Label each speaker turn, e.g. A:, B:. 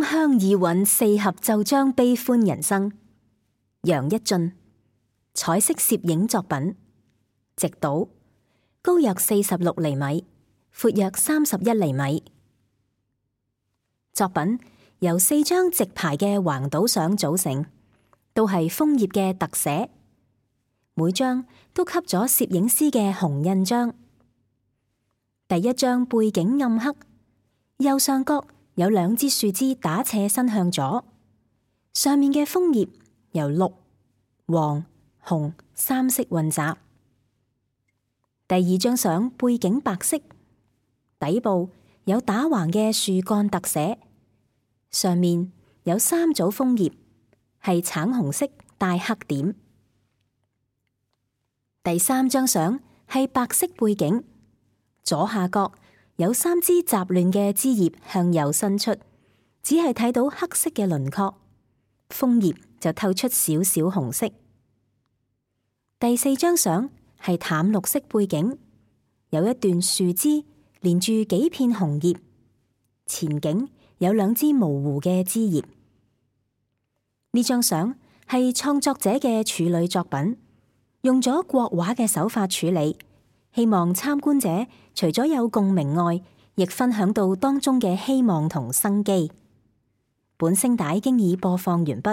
A: 鄉異韻四合奏章悲歡人生。楊一俊，彩色攝影作品，直島，高約46厘米，闊約31厘米。作品由4張直排嘅橫倒相組成，都係楓葉嘅特寫，每張都給咗攝影師嘅紅印章。第一張背景暗黑，右上角有2支樹枝打斜伸向左，上面嘅楓葉由綠、黃、紅3色混雜。第二張相背景白色，底部有打橫嘅樹幹特寫，上面有3組楓葉，係橙紅色帶黑點。第三張相係白色背景，左下角有3支雜亂嘅枝葉向右伸出，只係睇到黑色嘅輪廓，楓葉就透出少少紅色。第4張相係淡綠色背景，有一段樹枝連住幾片紅葉，前景有2支模糊嘅枝葉。呢張相係創作者嘅處女作品，用咗國畫嘅手法處理，希望參觀者除咗有共鳴外，亦分享到當中嘅希望同生機。本聲帶經已播放完畢。